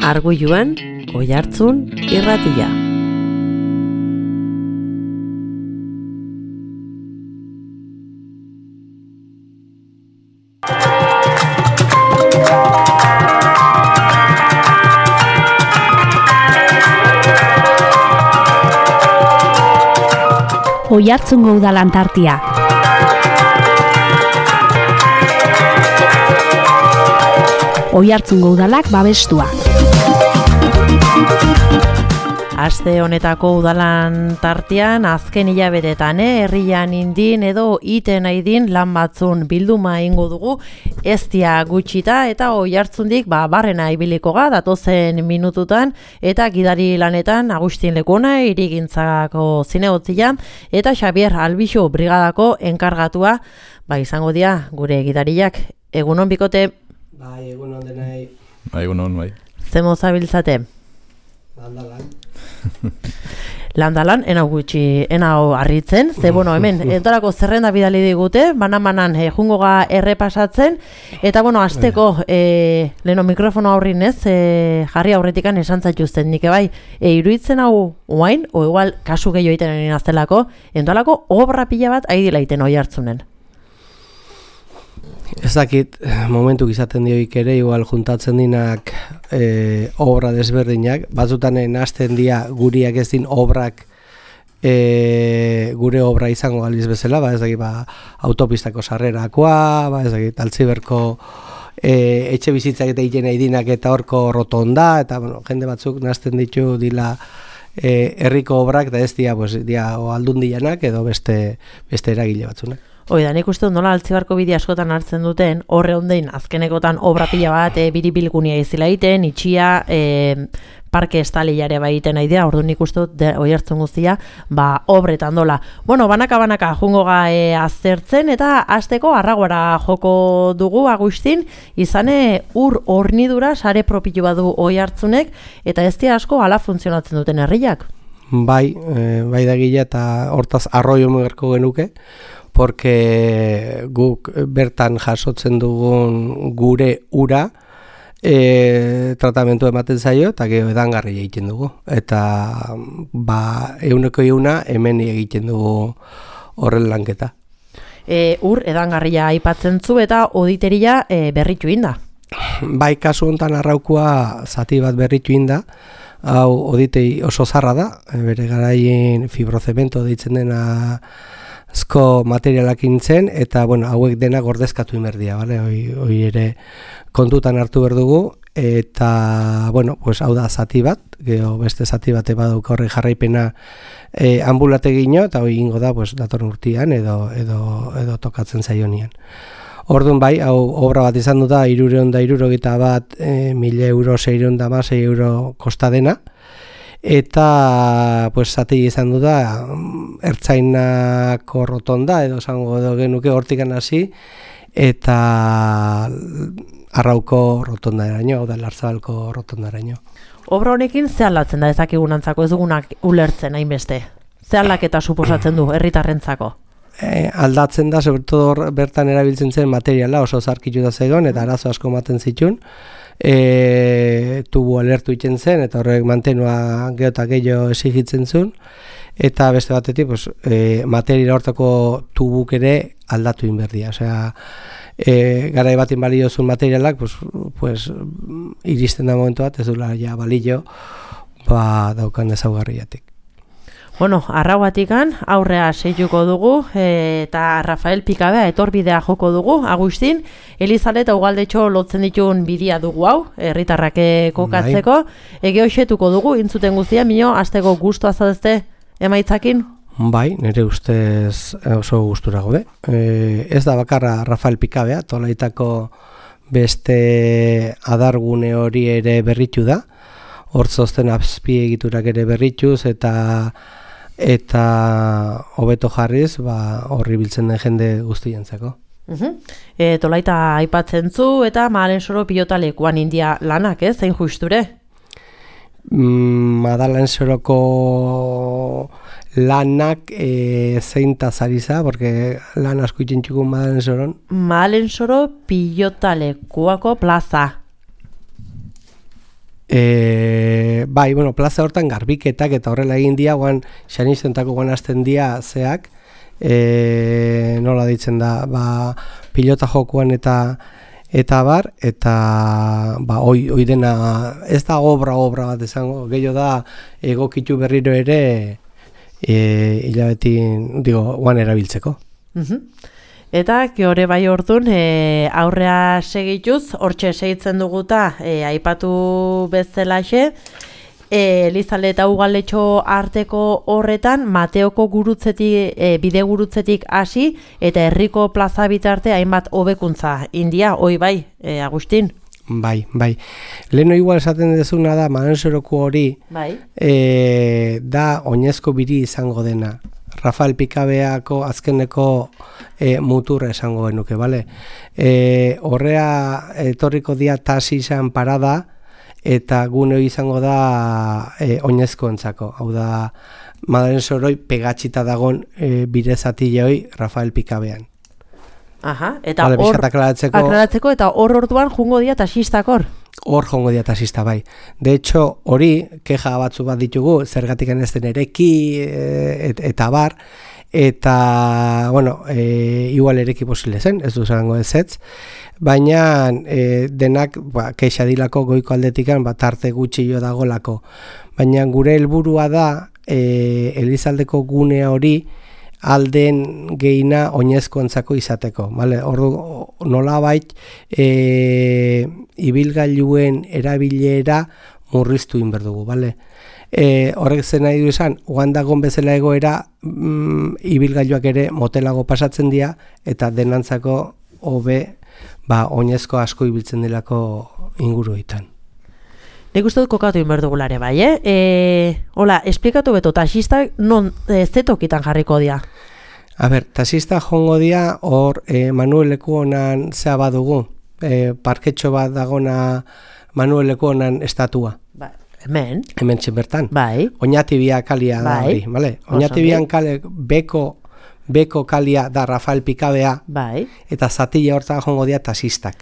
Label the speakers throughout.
Speaker 1: Arguiluan, Oihartzun irratia.
Speaker 2: Oihartzungo Udalan tartia. Oihartzungo Udalak babestua.
Speaker 1: Aste honetako udalan tartean azken hilabetetan herrian indin edo iten aidin lan batzun bilduma eingo dugu ez dia gutxita eta Oihartzundik barrena ibiliko ga datozen minututan eta gidari lanetan Agustin Lekona hirigintzako zinegotzia eta Xabier Albixo brigadako enkargatua izango dira gure gidariak. Egunon bikote.
Speaker 3: Bai, egunon denai.
Speaker 4: Bai, egunon, bai.
Speaker 1: Zemo zabiltzate?
Speaker 3: Landalan.
Speaker 1: Landalan, enau harritzen, ze hemen, entorako zerrenda bidali digute, banan jungo ga errepasatzen, eta azteko, leheno mikrofono aurrin ez, jarri aurretikan esan zaituzten nik bai, iruditzen hau oain, o igual kasu gehiago egiten egin aztelako, entorako obra pila bat haidila egiten Oihartzunen.
Speaker 3: Ez dakit, momentuk izaten dioik ere, igual juntatzen dinak obra desberdinak, batzutan hasten dira guriak ez din obrak gure obra izango galiz bezala, ez dakit, autopistako sarrerakoa, ez dakit, Altziberko etxe bizitzak eta egiten nahi dinak eta horko rotonda, eta jende batzuk nazten ditu dila herriko obrak, eta ez dira aldundianak edo beste eragile batzunak.
Speaker 1: Da, nik uste nola Altzibarko bide askotan hartzen duten, horre ondein azkenekotan obra pila bat biribilgunia izila egiten, itxia, parke estaliare baiten aidea, ordu nik uste Oihartzun guztia, obretan dola. Banaka jungo ga aztertzen eta hasteko Arraguara joko dugu Agustin, izane ur hornidura sare propilu badu Oihartzunek, eta ez dira asko hala funtzionatzen duten herriak.
Speaker 3: Bai da gila eta hortaz arroio mugerko genuke, porque guk bertan jasotzen dugun gure ura tratamentu ematen zaio eta gero edangarri egiten dugu. Eta 100% hemen egiten dugu horren lanketa.
Speaker 1: Ur edangarria aipatzen zu eta oditeria berritu inda.
Speaker 3: Bai, kasu honetan Arraukua zati bat berritu inda. Hau oditei oso zarra da, bere garaien fibrozemento deitzen dena azko materialak intzen, eta hauek dena gordezkatu inberdia, hoi ere kontutan hartu berdugu, eta hau da zati bat, geho beste zati bat baduk horre jarraipena ambulategino, eta hoi ingo da datorren urtean edo tokatzen zaionian. Orduan hau obra bat izan du da, 361.000 euro, 616 euro kosta dena, eta zati izan du da, Ertzainako rotonda, edo esango genuke hortikan hasi, eta Arrauko rotonda eraino, hau da Larzabalko rotonda eraino.
Speaker 1: Obra honekin ze aldatzen da ezakigunantzako, ez dugunak ulertzen hainbeste? Ze aldaketa suposatzen du herritarrentzako?
Speaker 3: Aldatzen da, sobretodo bertan erabiltzen zen materiala oso zarkitu da zegoen, eta arazo asko maten zituen, tubu alertu iten zen, eta horrek mantenua geota gehiago esigitzen zuen, eta beste batetik materiala hortako tubuk ere aldatu inberdia. Osea, garai batin balio zuen materialak, iristen da momentu bat, ez dula ja balio, daukan ezaugarriatik.
Speaker 1: Arrauatikan aurrea seituko dugu eta Rafael Pikabea etorbidea joko dugu, Agustin, Elizale eta Ugaldetxo lotzen ditun bidea dugu hau, herritarrak kokatzeko, hoxetuko dugu, intzuten guztia, mino, azteko gustu azadezte emaitzakin?
Speaker 3: Bai, nire ustez oso gustura gode. Ez da bakarra Rafael Pikabea, tolaitako beste adargune hori ere berritu da, hortzozten azpiegiturak ere berrituz eta hobeto jarriz horri biltzen den jende guztientzako.
Speaker 1: Tolaita aipatzen zu eta Madalensoro pilotalekuan india lanak, zein justure?
Speaker 3: Madalensoroko lanak zeintaz ari za, porque lan asko itxintxukun Madalensoron.
Speaker 1: Madalensoro pilotalekuako plaza.
Speaker 3: Bai, bueno, plaza hortan garbiketak eta horrela egin dia, guan xanizentako guan hasten dia zeak, nola ditzen da, pilota jokuan eta bar, eta hoi dena, ez da obra bat izango, gehiago da egokitu berriro ere hilabetin, guan erabiltzeko.
Speaker 1: Eta, hori bai orduan, aurrea segituz, hortxe segitzen duguta, aipatu bezalaxe, Elizalde eta Ugaletxo arteko horretan, Mateoko gurutzetik, bide gurutzetik hasi, eta herriko plaza bitarte hainbat hobekuntza. India, hoi bai, Agustin?
Speaker 3: Bai. Leheno igual esaten dezuna da, Marensoroko hori, da oinezko biri izango dena. Rafael Pikabeako azkeneko muturra esango genuke, bale? Horrea etorriko dia tasizan parada, eta gune izango da oinezkoentzako. Hau da, Madalen Soroi pegatxita dagon birezatile hoi Rafael Pikabean.
Speaker 1: Aha, eta
Speaker 3: vale,
Speaker 1: hor aklaratzeko, eta hor orduan jungo dia tasistak hor?
Speaker 3: Hor jongo dia tasista, bai. De hecho, hori, keja batzu bat ditugu, zergatik ez den ereki eta bar, eta, bueno, igual ereki posible zen, ez du zango ezetz, baina denak kexa dilako goiko aldetikan tarte gutxi jo dagolako. Baina gure helburua da Elizaldeko gunea hori alden geina oinezkoentzako izateko, vale? Ordu nolabait ibilgailuen erabilera murriztu inberdugu, vale? Horrek zen nahi du esan, oan dagon bezala egoera ibilgailuak ere motelago pasatzen dira eta denantzako hobe oinezko asko ibiltzen delako inguruetan.
Speaker 1: Nik uste dut kokatu inberdugulare bai, Hola, esplikatu beto, tasistak non zetokitan jarriko dia?
Speaker 3: A ber, tasista jongo dia, hor Manuel Lekuonan zea badugu, parketxo bat dagona Manuel Lekuonan estatua.
Speaker 1: Ba, hemen
Speaker 3: bertan.
Speaker 1: Bai.
Speaker 3: Oñatibia kalia da hori, bale? Oñatibian kale beko kalia da Rafael Pikabea, bai. Eta zatila horta jongo dia tasistak.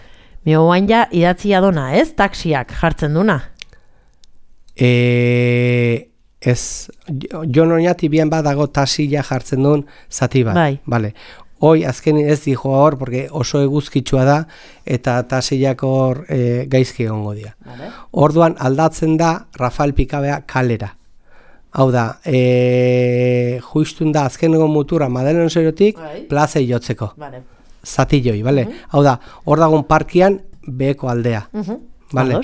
Speaker 1: Mio guain ja idatzia dona, ez? Taxiak jartzen duna.
Speaker 3: Ez, Jon Oñatibian badago tasila jartzen duen zati bat. Bai. Vale. Hoi azken ez dijo hor, porque oso eguzkitsua da, eta tasilak hor gaizki egongo dira. Vale. Orduan aldatzen da Rafael Pikabea kalera. Hau da, juistun da azkeneko mutura Madalen Zerotik plazei jotzeko. Vale. Zatilloi, bale? Hau da, hor dagoen parkian beheko aldea. Bale?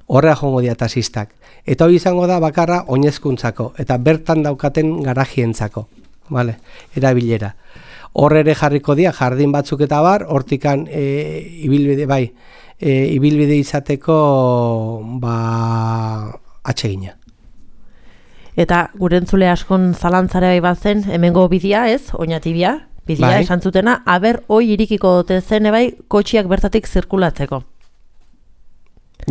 Speaker 3: Horrea jongo dia tasistak. Eta hori izango da bakarra oinezkuntzako, eta bertan daukaten garajientzako. Bale? Erabilera. Hor ere jarriko dia, jardin batzuk eta bar, hortikan ibilbide izateko atsegina.
Speaker 1: Eta gure entzule askon zalantzare bai bazen, hemengo bidea ez, Oñatibia, bidea esan zutena, aber hoi irikiko dute zen bai kotxiak bertatik zirkulatzeko.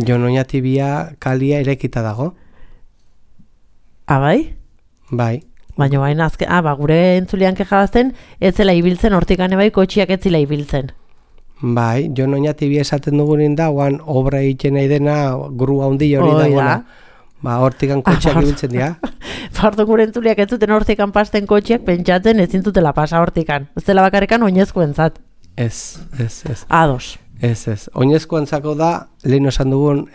Speaker 3: Jon Oñatibia kalia erekita dago.
Speaker 1: Bai?
Speaker 3: Bai.
Speaker 1: Baina baina azken, gure entzulean kejabazten, ez zela ibiltzen, hortikane bai kotxiak ez zela ibiltzen.
Speaker 3: Bai, Jon Oñatibia esaten dugunin da, oan obra egiten nahi dena grua handi hori dagoela. Hortikan kotxeak ibiltzen dira.
Speaker 1: Bardo gure entzuleak ez zuten hortikan pasten kotxeak pentsatzen ezin zutela pasa hortikan. Ez dela bakarrikan oinezkoentzat.
Speaker 3: Ez.
Speaker 1: Ados.
Speaker 3: Ez. Oinezkoentzako da, lehen esan dugun,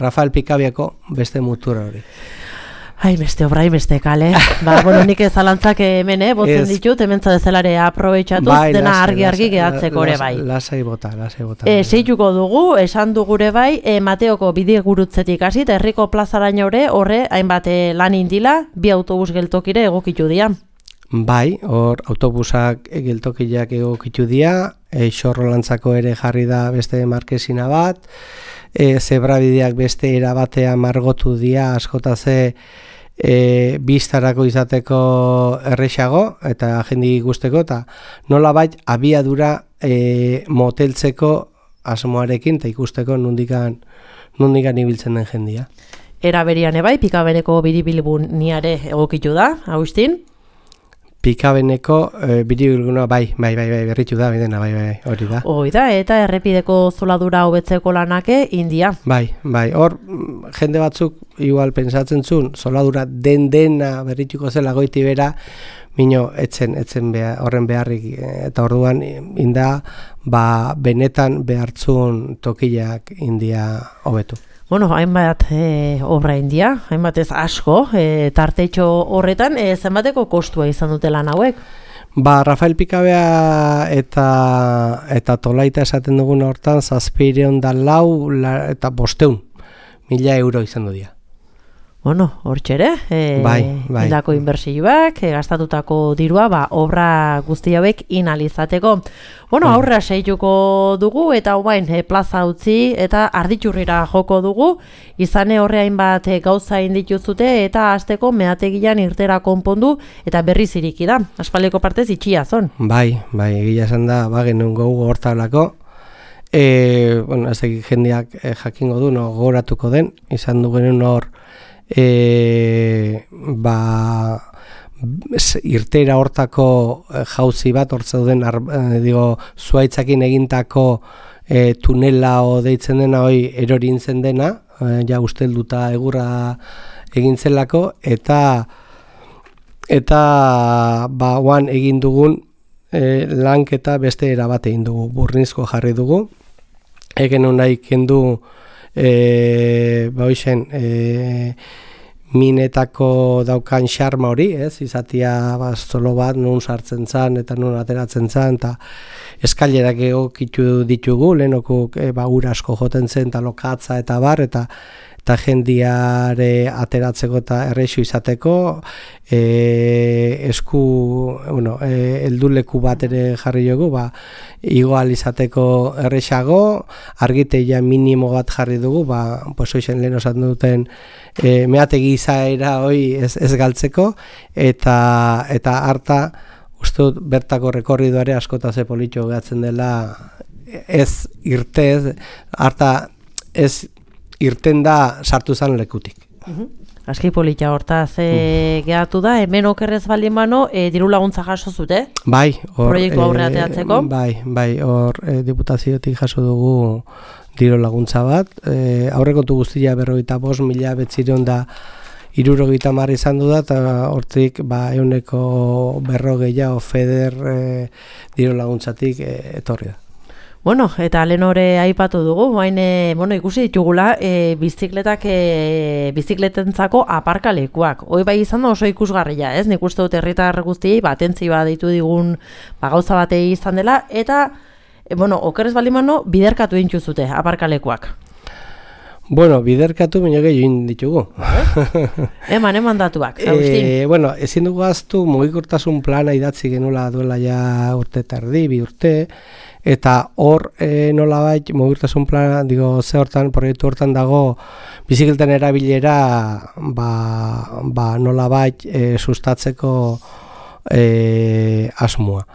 Speaker 3: Rafael Pikabiako beste mutura hori.
Speaker 1: Ai, beste obrai, beste kale. Bueno, nik ezalantzak hemen, botzen ditut, hemen zadezelare aprobetxatuz, dena argi gehatzeko ere bai.
Speaker 3: Lasai bota.
Speaker 1: Seituko dugu, esan dugure bai, Mateoko bide gurutzetik hasi, eta herriko plazaraino horre, hainbat lan indila, bi autobus geltokire egokitu dira.
Speaker 3: Bai, hor autobusak geltokiak egokitu dira, xorrolantzako ere jarri da beste markesina bat, zebrabideak beste erabatea margotu dira, askotaze biztarako izateko errexago eta jendi guzteko, eta nolabait abiadura moteltzeko asmoarekin eta ikusteko nondikan ibiltzen den jendia.
Speaker 1: Era berian ebai, Pikabeneko biribilbuniare egokitu da, Agustin?
Speaker 3: Pikabeneko biribilguna bai, berritu da, bidena, bai, hori da.
Speaker 1: Hoi da, eta errepideko zoladura hobetzeko lanake India. Bai,
Speaker 3: hor jende batzuk igual pensatzen zuen, zoladura dena berrituko zela goiti bera, mino etzen horren beharrik, eta orduan inda, benetan behartzun tokiak India hobetu.
Speaker 1: Bueno, hainbat obra India, hainbat ez asko, tartetxo horretan, zenbateko kostua izan dute lan hauek?
Speaker 3: Rafael Pikabea eta Tolaita esaten dugun hortan, 704 eta 500.000 euro izan du dira.
Speaker 1: Bueno, hortxere, indako inbertsioak, gastatutako dirua, obra guzti hauek inalizateko. Bueno, aurra seituko dugu, eta hobain plaza utzi, eta arditxurrira joko dugu, izane horreain bat gauza indituzute, eta hasteko meategian irtera konpondu, eta berriz iriki da. Aspaldiko partez itxia zon.
Speaker 3: Bai, egia esan da, genuen gogu hortalako. Bueno, ez egin jendeak jakingo du, gogoratuko den, izan du genuen hor, irtera hortako jauzi bat hor zeuden zuaitzakin egintako tunela deitzen dena hoi erorintzen dena, ja ustelduta egurra egintzelako, eta oan egin dugun lanketa beste erabate egin dugu, burnizko jarri dugu, egen nahi kendu minetako daukan xarma hori, izatia zolo bat nun sartzen zan eta nun ateratzen zan, eta eskailerak egokitu ditugu, lehenoko ura asko joten zen, eta lokatza eta bar, eta jendiare ateratzeko eta errexu izateko, helduleku bat ere jarri dugu, igual izateko errexago, argiteia minimo bat jarri dugu, hoxen lehen osatzen duten meategi izaera hoi ez galtzeko, eta harta, uste dut bertako rekorridoare askota ze politxo gehatzen dela, ez irte, harta ez irten da sartu zan lekutik.
Speaker 1: Aski polita hortaz gehatu da, hemen okerrez baldin bano, diru laguntza jaso zute?
Speaker 3: Bai,
Speaker 1: proiektu aurre ateatzeko?
Speaker 3: Bai, hor diputaziotik jaso dugu diru laguntza bat, aurrekontu guztia 45.930 izan du da, eta hortik euneko 40 feder diru laguntzatik etorri da.
Speaker 1: Bueno, eta lehen hori aipatu dugu, ikusi ditugula bizikletentzako aparkalekuak. Hoi bai izan da oso ikusgarria, ez? Nik uste dut herritar guztiei, atentzioa deitu digun gauza batei izan dela, eta, okerrez baldimano, biderkatu intuzute aparkalekuak.
Speaker 3: Biderkatu baino gehiago ditugu.
Speaker 1: Eman datuak, Agustin.
Speaker 3: Ezin dugu aztu mugikortasun plana idatzi genula duela ja urte eta erdi, 2 urte, eta hor nolabait mugikortasun plana, ze hortan, proiektu hortan dago bizikletan erabilera nolabait sustatzeko asmoa.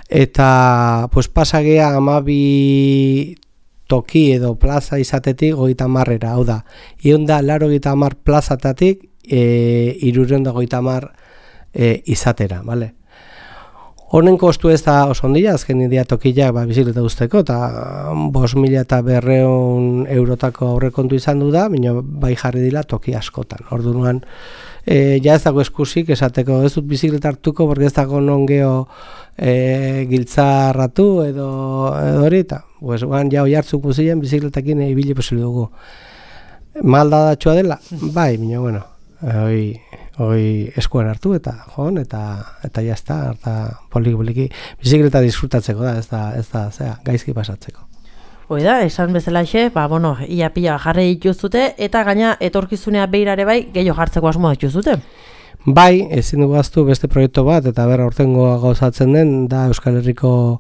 Speaker 3: Eta pasagea 12 toki edo plaza izatetik 30-era, hau da. Ion da 80 plazatatik 350 izatera, bale? Honen kostu ez da oso ondia, azken idea tokiak bizikleta usteko, eta 5.200 eurotako aurrekontu izan du da, baina bai jarri dila toki askotan. Orduan, ja ez dago eskusik esateko, ez dut bizikleta hartuko, porque ez dago non geho giltzarratu edo hori, eta ja hoi hartzuk guzien bizikletakin ibili posible dugu. Maldadatxoa dela? Bai, baina, hoi eskuan hartu eta joan, eta jazta, eta poliki bizikleta disfrutatzeko da, ez da, gaizki pasatzeko.
Speaker 1: Hoi da, esan bezalaxe, ia pila jarri dituzute, eta gaina etorkizunea beirare bai, gehiago jartzeko asmoa dituzute.
Speaker 3: Bai, ezin dugu aztu beste proiektu bat, eta berra hortengoa gauzatzen den, da Euskal Herriko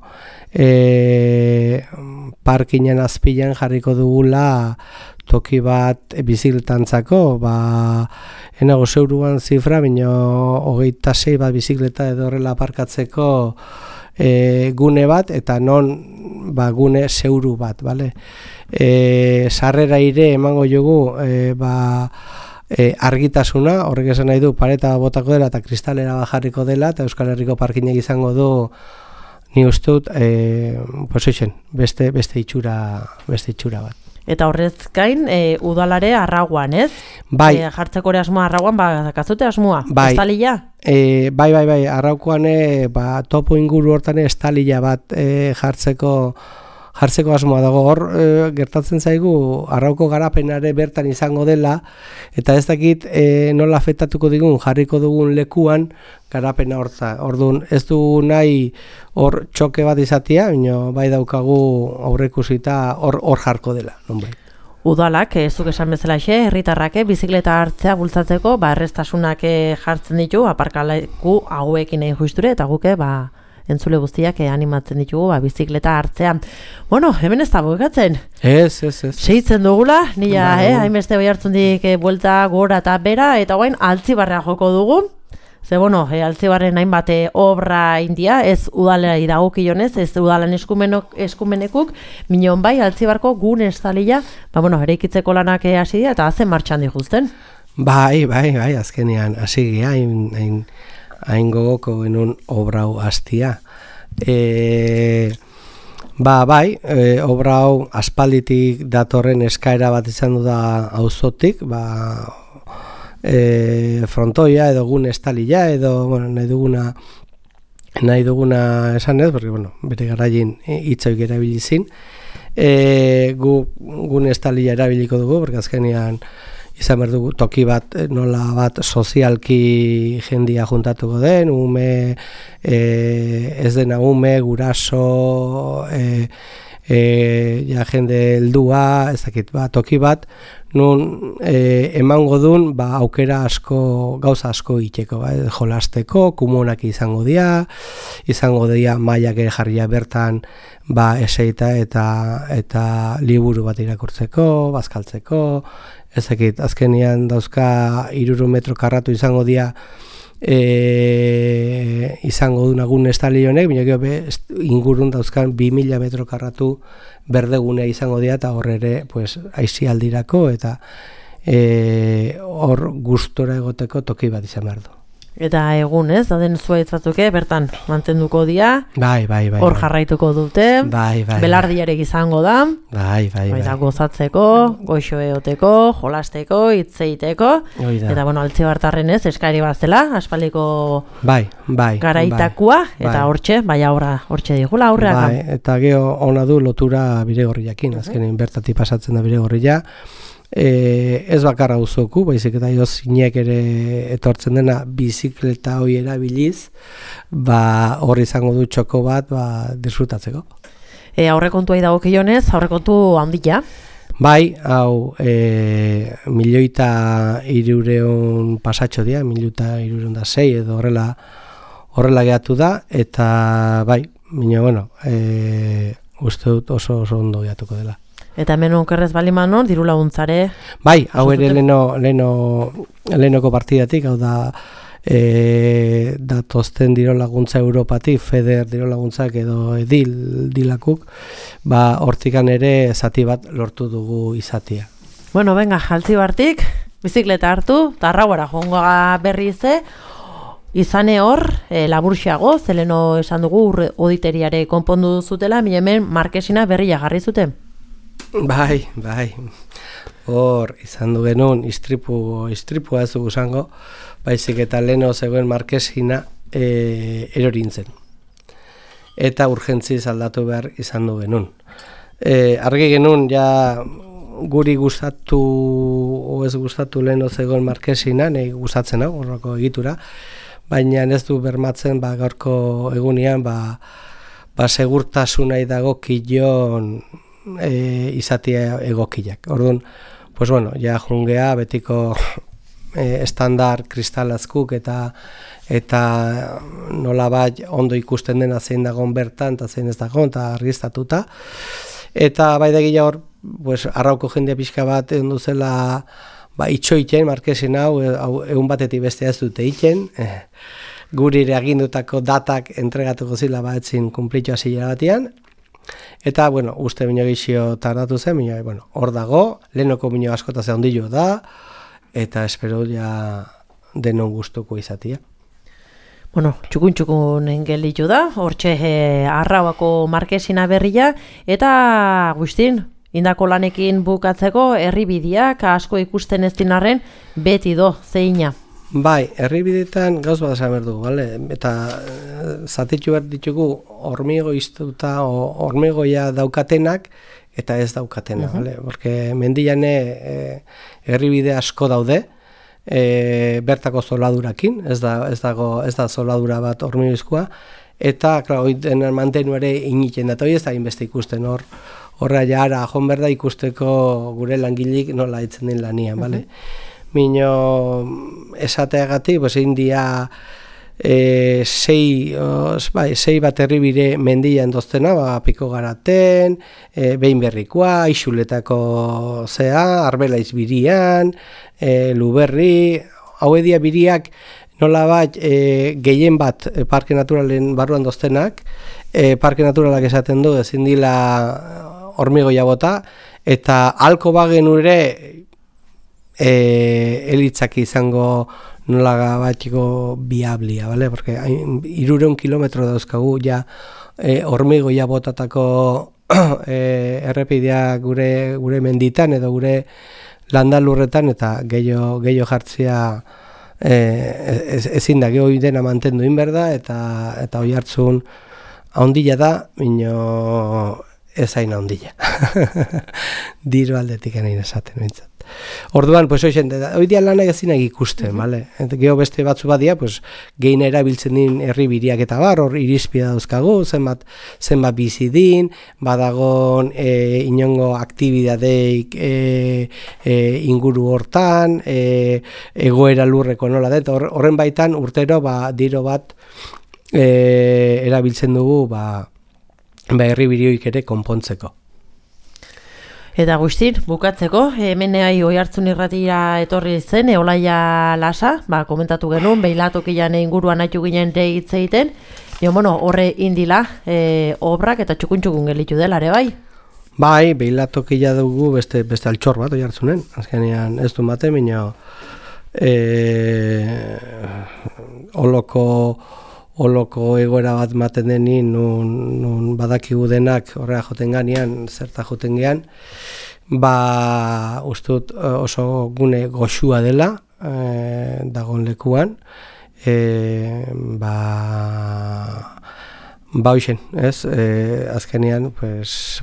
Speaker 3: parkinen azpilan jarriko dugula toki bat bizikletantzako, enago zeuruan zifra, baina 26 bat bizikleta edo horrela aparkatzeko gune bat, eta non gune zeuru bat, bale? Sarrera ire emango jogu argitasuna, horrek esan nahi du pareta botako dela eta kristalera bajarriko dela, eta Euskal Herriko parkinek izango du, ni uste dut, beste itxura bat.
Speaker 1: Eta horrez gain, udalare arraguan, ez?
Speaker 3: Bai.
Speaker 1: Jartzeko ere asmoa arraguan, kazute asmoa?
Speaker 3: Bai.
Speaker 1: Estalila?
Speaker 3: Bai, arraukoan topo inguru hortan estalila bat jartzeko asmoa dago. Hor gertatzen zaigu arrauko garapenare bertan izango dela, eta ez dakit nola afektatuko digun jarriko dugun lekuan garapena horta. Orduan ez du nahi hor txoke bat izatea, baina bai daukagu aurreikusita hor jarko dela.
Speaker 1: Udalak, zuk esan bezalaxe, herritarrak bizikleta hartzea bultzatzeko, erreztasunak jartzen ditu, aparkaleku hauekin egin juisture, eta guke, entzule guztiak animatzen ditugu bizikleta hartzea. Bueno, hemen ez da bukatzen.
Speaker 3: Ez.
Speaker 1: Seitzen dugula, nila, hainbeste bai hartzundik buelta gora eta bera, eta guain Altzibarrea joko dugu. Ze, Altzibarren hainbat obra india, ez udalera dagokionez, ez udalan eskumenekuk, minon bai, Altzibarko gune estalila, eraikitzeko lanak hasi dira, eta hazen martxan dituzten.
Speaker 3: Bai, azkenean, hasi gira, hain gogoko genuen obrau hastia. Obra hau aspalditik datorren eskaera bat izan du da auzotik, frontoia edo gune estalila edo nahi duguna esan ez, porque bere garaien hitzoik erabilizin. Gune estalila erabiliko dugu, porque azkenean izan behar dugu toki bat, nola bat sozialki jendia juntatuko den, ez dena guraso, jende heldua, ez dakit, toki bat, nun emango dun aukera asko, gauza asko iteko, jolasteko, kumunak izango dira mailak ere jarria bertan eseita eta liburu bat irakurtzeko, bazkaltzeko, ez dakit, azkenean dauzka 300 metro karratu izango dira izango duna gune estali honek, baina ingurun dauzkan 2000 metro karratu berdegunea izango dira, eta hor ere aisialdirako eta hor gustora egoteko toki bat izan behar du.
Speaker 1: Eta egun, ez? Dauden zuaitz batzuke, bertan mantenduko dira.
Speaker 3: Bai.
Speaker 1: Hor jarraituko dute.
Speaker 3: Bai.
Speaker 1: Belardiarek izango da.
Speaker 3: Bai.
Speaker 1: Eta gozatzeko, goixo eoteko, jolasteko, hitzeiteko. Eta, Altzibartarren ez, eskari bat zela, aspaldiko garaitakua. Eta hortxe, hortxe digula aurreak.
Speaker 3: Bai, eta geho ona du lotura Bidegorriakin, azkenean bertatik pasatzen da Bidegorria. Ez bakarra uzoku, baizik eta zinek ere etortzen dena bizikleta hori erabiliz, hor izango du txoko bat disfrutatzeko.
Speaker 1: Aurrekontuai dagokionez, aurrekontu handia?
Speaker 3: Bai, hau 1.300.000 pasatxo dira, 1.306 edo horrela gehatu da, eta bai, uste dut oso ondo gehatuko dela.
Speaker 1: Eta hemen onkerrez balimanon, diru laguntzare?
Speaker 3: Bai, hau ere lehenoko partidatik, hau da datozten diru laguntza Europatik, FEDER diru laguntzak edo dilakuk, hortikan ere zati bat lortu dugu izatia.
Speaker 1: Bueno, venga, Altzibartik, bizikleta hartu, eta arrauara joangoa berrize, izane hor, laburxiago, zeleno esan dugu auditeriare konpondu zutela, hemen markesina berria jarri zuten.
Speaker 3: Bai. Hor, izan du genuen, istripua ez dugu zango, baizik eta leheno zegoen markesina erorintzen. Eta urgentziz aldatu behar izan du genuen. Argi genuen, guri gustatu o ez gustatu leheno zegoen markesina, nahi gustatzen hau, horrako egitura, baina ez du bermatzen gaurko egunean, segurtasunai dago kion izatea egokiak. Orduan, jungea betiko estandar kristalazkuk eta nolabait ondo ikusten dena zein dagoen bertan eta zein ez dagoen eta argiztatuta. Eta bai da gila hor, arrauko jendea pixka bat egon duzela itxoiten markesin hau egun batetik bestea ez dute iten. Guri ere agindutako datak entregatuko zila etzin kumplitu hasiera batean. Eta, uste bino gizio tardatu zen, hor dago, lehenoko bino askotazea ondillo da, eta espero ja denon gustuko izatea.
Speaker 1: Bueno, txukun engelitu da, hortxe Arrauako markesina berria, eta Agustin, indako lanekin bukatzeko herribideak asko ikusten ez dinarren beti do, zeina.
Speaker 3: Bai, herribideetan gauz bat esan behar dugu, bale? Eta zatitu behar ditugu hormigo iztuta, hormigoia daukatenak, eta ez daukatena, bale? Porque mendiane herribide asko daude, bertako zoladurakin, ez da zoladura bat hormigoizkoa, eta, klaro, den mantenu ere initen da, eta hori ez da inbeste ikusten horra jara, jon berda ikusteko gure langilik nola itzen den lanian, bale? Mino esateagatik, pues India sei bat herribide mendian doztena, Piko Garaten, Behin Berrikoa, Ixuletako Arbelaiz birian, Luberri, hau edia biriak nola bat gehien bat parke naturalen barruan doztenak, parke naturalak esaten du, ezin dila hormigoia bota, eta halko bagen ure elitzak izango nola batiko biablia, ¿vale? Porque 300 kilometro dauzkagu ja hormigoia botatako errepidea gure menditan edo gure landalurretan, eta gehiago jartzea ezin da, geho dena mantendu inberda, eta hoi hartzun haundila da, mino ez hain haundila. Diru aldetik nahi esaten bintzat. Orduan, pues hoi dia lanak ezinak ikusten, bale? Geho beste batzu badia, pues geina erabiltzen din herribiriak eta bar, hor irizpida dauzkagu, zenbat bizi din, badagon inongo aktibidadeik inguru hortan, egoera lurreko nola da, horren baitan urtero diro bat erabiltzen dugu herribirioik ere konpontzeko.
Speaker 1: Eta Agustin, bukatzeko, hemen Oihartzun irratira etorri zen, Eolaia Lasa, komentatu genuen, Beilatokian inguruan haitu ginen hitz egiten, horre indila obrak eta txukun gelitu dela ere bai?
Speaker 3: Bai, Beilatokia dugu beste altxor bat Oihartzunen, azkenean ez du mate, minio oloko egoera bat maten denin, nun badakigu denak horrea joten ganean, zerta joten gean, ustut oso gune goxua dela, dagon lekuan, hoxen, ez? Azkenean, pues,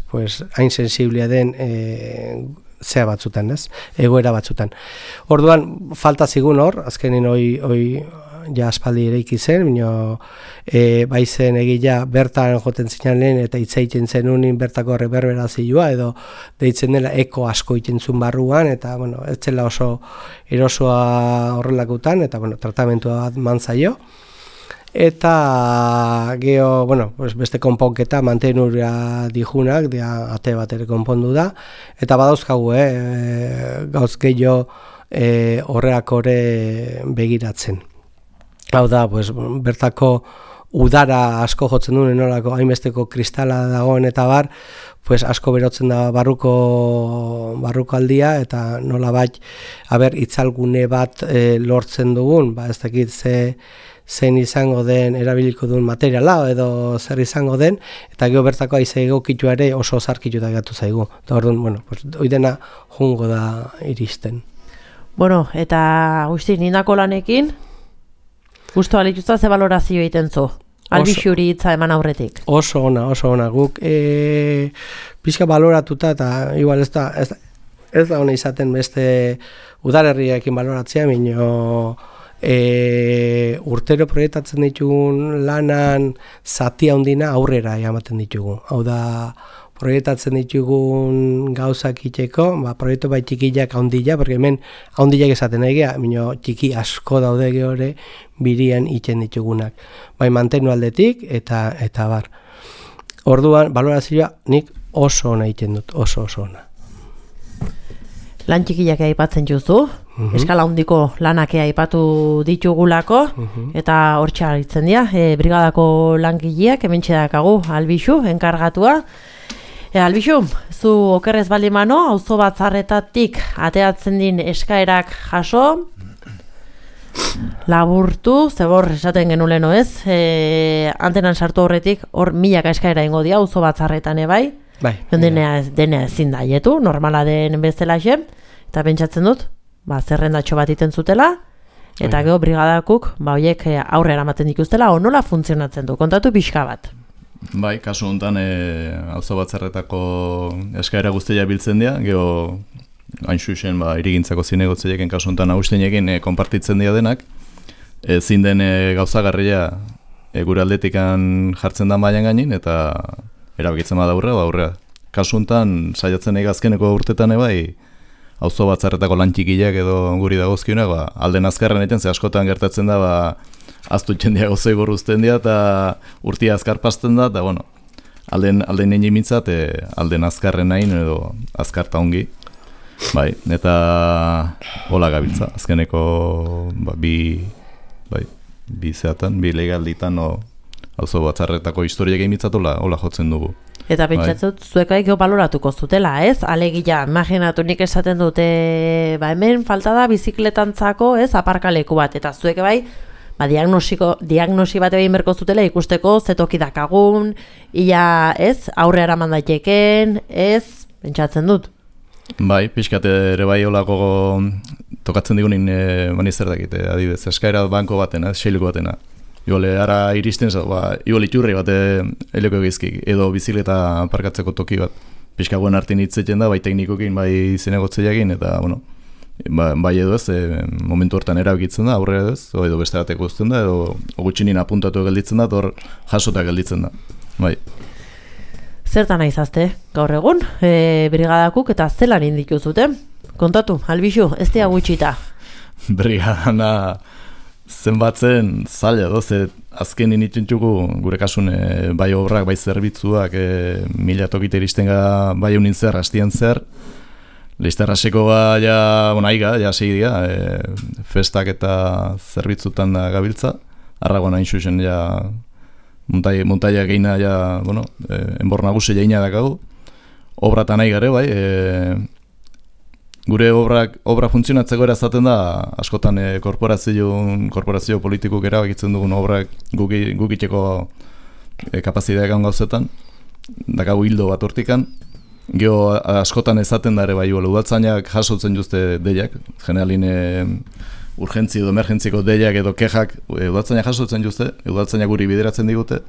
Speaker 3: hain sensiblia den zea batzutan, ez? Egoera batzutan. Orduan, falta zigun hor, azkenean hoi ja aspaldi eraiki zen, bai zen egila bertan joten zinan lehen eta itzaiten zen unin bertako reverberazioa edo deitzen dela eko asko itentzun barruan, eta ez zela oso erosoa horrelakutan, eta tratamentua bat mantzaio. Eta geho, beste konponketa mantenura dijunak, ate bat ere konpondu da, eta badauzkagu, gauz gehiago horreak ore begiratzen. Hau da, bertako udara asko jotzen duen nolako hainbesteko kristala dagoen eta bar, asko berotzen da barruko aldia, eta nola bat, itzalgune bat lortzen dugun, ez dakit zein izango den erabiliko duen materiala edo zer izango den, eta gero bertako haize egokitu ere oso zarkitu da gatu zaigu. Eta orduan, hoi dena jungo da iristen.
Speaker 1: Eta Agustin, indako lanekin, gustu alituzta ze valorazio egiten zu? Albixuri hitza eman aurretik. Oso ona. Guk
Speaker 3: pixka baloratuta, eta igual ez da ona izaten beste udalerriekin baloratzea, minio urtero proiektatzen ditugun lanan zati handina aurrera ematen ditugu. Hau da, proiektatzen ditugun gauzak iteko, proiektu bai txikiak handila, porque hemen handilak esaten egia, minio txiki asko daude geore birian iten ditugunak. Bai mantenu aldetik eta bar. Orduan, balorazioa nik oso ona iten dut, oso ona.
Speaker 1: Lan txikiak aipatzen juzu, eskala handiko lanak aipatu ditugulako, eta hortxe aritzen dira, brigadako langileak hementxe dakagu albixu, enkargatua, Albixu, zu okerrez balimano, auzo batzarretatik ateatzen din eskaerak jaso, laburtu, zebor esaten genuleno ez, antenan sartu horretik, hor milaka eskaera ingo dia, auzo batzarretan bai, dena ezin daietu, normala den bezalaxe, eta pentsatzen dut, zerrendatxo bat iten zutela, eta gero brigadakuk, horiek aurre eramaten dituztela, nola funtzionatzen du, kontatu pixka bat.
Speaker 4: Bai, kasu honetan auzo batzarretako eskaera guztia biltzen dira, gero hain xuxen irigintzako zinegotzeieken kasu honetan nagustenekin konpartitzen dira denak, ezin den gauzagarria gure aldetikan jartzen da mailan gainin eta erabakitzen bada aurrea. Kasu honetan saiatzen azkeneko urtetan bai auzo batzarretako lan txikiak edo guri dagozkionak alden azkarren egiten, ze askotan gertatzen da aztu txendia gozoi gorruzten dira eta urtia azkar pasten da, eta bueno, alden egin mintzat, alden azkarren nahin edo azkarta ongi. Bai, eta hola gabiltza, azkeneko bi zeatan, bi legalditan auzo batzarretako historiak egin mintzat hola jotzen dugu.
Speaker 1: Eta pentsatzut, zuekaik baloratuko zutela, ez? Alegia, imaginatu nik esaten dute, hemen falta da bizikletantzako, ez, aparkaleku bat, eta zuek bai, diagnosi bat egin berko zutela ikusteko zetoki dakagun, ia, ez, aurre eraman daiteken, ez, pentsatzen dut.
Speaker 4: Bai, pixkat ere bai olako tokatzen digunin mani zer dakite, adibidez, eskaera banko batena, seiluko batena. Iole, ara iristen, iole iturri bat eleko egizkik, edo bizikleta parkatzeko toki bat. Pixka guen hartin hitzeten da, bai teknikokin, bai zinegotzeiakin, eta, bueno, bai edo ez, momentu hortan erabikitzen da, aurrera edo ez, edo beste bateko uzten da, edo gutxinin apuntatu gelditzen da, hor jasota gelditzen da, bai.
Speaker 1: Zertan aizazte, gaur egun, brigadakuk eta zelan indiku zuten? Kontatu, Albixu, ez dira gutxita.
Speaker 4: Brigadana zenbatzen zaila doze, azken initentxuko gure kasun bai obrak, bai zerbitzuak, mila tokite iristen ga bai unin zer, hastien zer, leizterraseko aiga, segi diga, festak eta zerbitzutan da gabiltza, arragoan hain xuxen montaia geina, enbor nagusi jaina dakagu, obratan nahi gare bai, gure obra funtzionatzeko erazaten da, askotan korporazio politikuk erabakitzen dugun obrak gukiteko kapazitateak gauzetan, dakagu hildo bat hortikan, geho askotan ezaten da ere bai, udaltzainak jasotzen juzte deiak, generalin urgentzi edo emergentziko deiak edo kexak udaltzainak jasotzen juzte, udaltzainak guri bideratzen digute,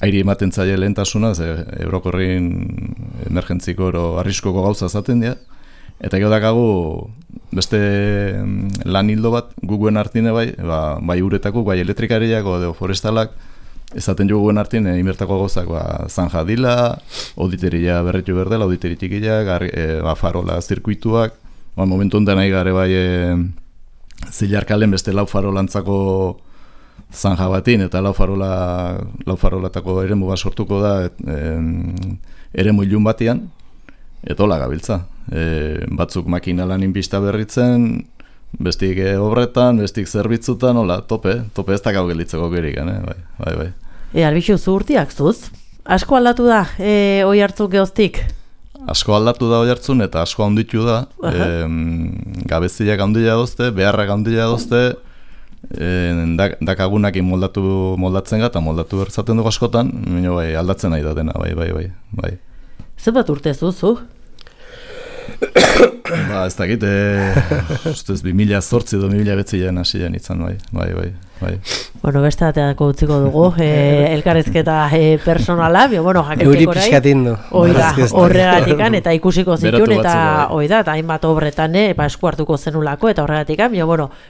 Speaker 4: airi ematen zaila lehentasuna, eurokorrin emergentziko ero arriskoko gauza zaten dira, eta gero dakagu beste lan hildo bat guguen hartine bai uretako, bai elektrikariak edo forestalak, ezaten jo guguen hartine inbertako gauzak zanja dila, auditeria berretu berdela, auditeri txikiak, farola zirkuituak, momentu honetan nahi gare bai zilarkalen beste lau farolantzako zanja batin, eta lau farolatako eremu bat sortuko da eremu ilun batian, eta hola gabiltza. Batzuk makina lanin pista berritzen, bestik obretan, bestik zerbitzutan, hola, tope ez dakau gelditzeko gerik, bai.
Speaker 1: Albixu, zu urtiak zuz? Asko aldatu da, oi hartzuk geoztik?
Speaker 4: Asko aldatu da oi hartzun, eta asko handitu da, gabeziak handila dozte, beharrak handila dozte, dakagunakin moldatzen eta moldatu bertzaten dugu askotan, aldatzen nahi da dena, bai.
Speaker 1: Zer bat urte zuzu?
Speaker 4: Ez dakit, ustez 2008 edo 2009 hasiean izan, bai.
Speaker 1: Bueno, beste bateako utziko dugu, elkarrezketa personala, jaketik
Speaker 3: Euri pixkatin du.
Speaker 1: Horregatikan, eta ikusiko zituen, eta eta hainbat obretan esku hartuko zenulako, eta horregatikan,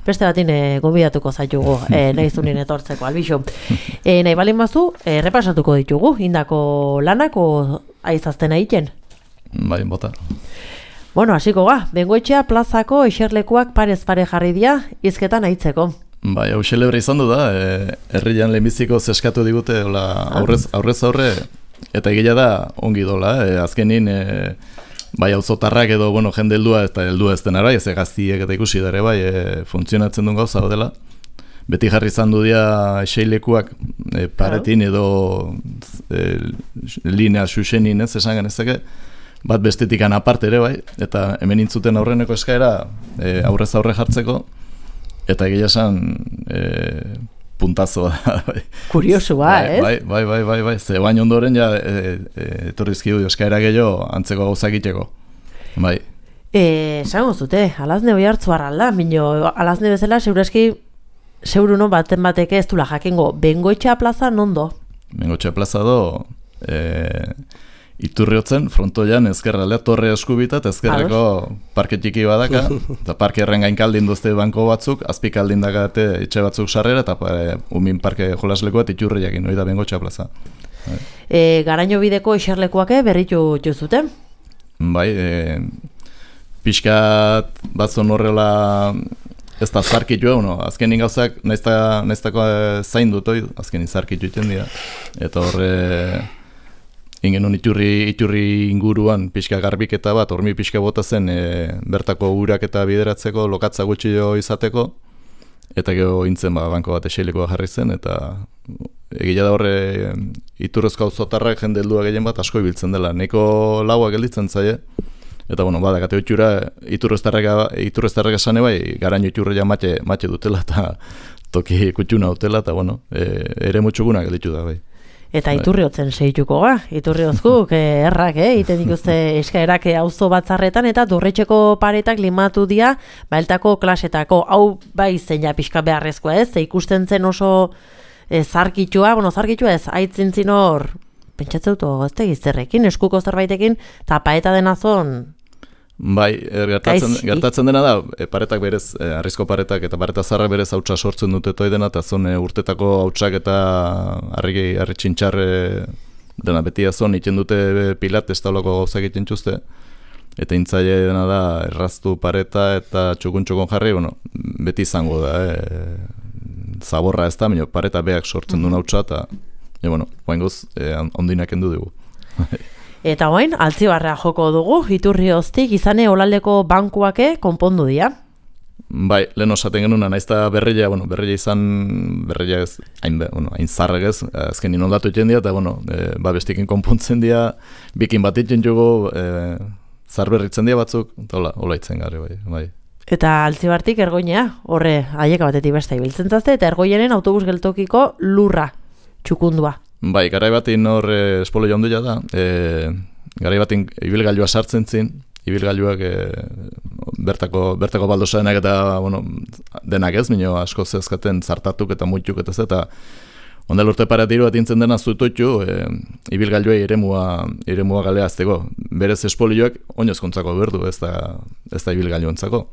Speaker 1: beste batin gonbidatuko zaitugu, nahi zunien etortzeko, Albixu. Nahi balin bazu, repasatuko ditugu, indako lanako aizazten egiten?
Speaker 4: Bai, bota.
Speaker 1: Hasiko ga, Bengoetxea plazako eserlekuak parez pare jarri dira, izketan aitzeko.
Speaker 4: Bai, hau xelebre izan du da, herrian lehenbiziko zeskatu digute aurrez aurre, eta egia da ongi dola, azkenin bai auzotarrak edo jende heldua eta heldua ez denara, ez gaztiek eta ikusi dara bai, funtzionatzen duen gauza dela, beti jarri izan du dia eseilekuak paretin edo linea xuxenin ez esan genezake, bat bestetikan aparte ere bai, eta hemen intzuten aurreneko eskaera aurrez aurre jartzeko, eta egia esan puntazoa da. Bai.
Speaker 1: Kuriosua, ez?
Speaker 4: Bai, ze bain ondoren ja etorrizkidu eskaera gehiago antzeko gauza egiteko. Bai.
Speaker 1: Esango zute, alazne hoi hartzu arralda, minio, alazne bezala, seguruno baten bateke ez dula jakingo, Bengoetxea plaza nondo?
Speaker 4: Bengoetxea plaza do, Iturriotzen, frontoian, ezkerralea, torre eskubita, eta ezkerreko parke txiki badaka, eta parke erren gainkaldin duzte banko batzuk, azpikaldin dakate etxe batzuk sarrera, eta umin parke jolaslekoa Iturriakin, hori da Bengoetxea plaza.
Speaker 1: Garaino bideko eserlekuak berritu jozuten?
Speaker 4: Bai, pixkat batzon horrela ez da zarkitua, azkenin gauzak naiztako zain dut, azkenin zarkitu iten dira, eta horre ingenun iturri inguruan pixka garbiketa bat, hormi pixka bota zen bertako urak eta bideratzeko, lokatza gutxio izateko, eta gero intzen banko bat eseilekoa jarri zen, eta egia da horre iturrezko auzotarrak jende heldua gehien bat asko ibiltzen dela, neko laua gelditzen zaie, eta badakate itxura iturreztarrek esane bai, garaino iturria mate dutela, eta toki kutxuna dutela, eta ere mutxuguna gelditu da bai.
Speaker 1: Eta Iturriotzen segituko ga, Iturriozkuk errak, iten ikuste eskaerak auzo batzarretan, eta Dorretxeko paretak limatu dira, baeltako klasetako, hau bai zeina pixka beharrezkoa ez, ikusten zen oso zarkitua ez, aitzintzin hor, pentsatzeut ez tegizterrekin, eskuko zerbaitekin, eta paeta denazon.
Speaker 4: Bai, gertatzen dena da, paretak berez, arrizko paretak eta pareta zarrak berez hautsa sortzen dute toi dena, eta zon urtetako hautsak eta harri txintxarre dena beti azon iten dute pilat, ez taulako gauza egiten txuzte, eta intzaile dena da erraztu pareta eta txukun jarri, beti izango da, zaborra ez da, pareta beak sortzen duen hautsa, eta guaingoz, ondinak endu dugu.
Speaker 1: Eta oain, Altzibarrea joko dugu, Iturrioztik, izane olaldeko bankuake konpondu dira.
Speaker 4: Bai, lehen osaten genuna, naizta berreia ez, hain zarrek ez, azken inondatu iten dira, eta bestikin konpontzen dira, bikin bat iten jugo, zarberritzen dira batzuk, eta hola itzen gare, bai.
Speaker 1: Eta Altzibartik Ergoinea, horre, haieka batetik besta ibiltzen zazte, eta Ergoienen autobus geltokiko lurra, txukundua.
Speaker 4: Bai, garai batin hor espolo jaundu da, garai batin ibilgailua sartzen zin, ibilgailuak bertako baldosaenak eta denak ez, minio asko zezkaten zartatuk eta muituk eta ondel urte paratiru bat intzen dena zutoitu, ibilgailuei eremua galea azteko. Berez espolioak oinozkontzako berdu, ez da ibilgailuantzako.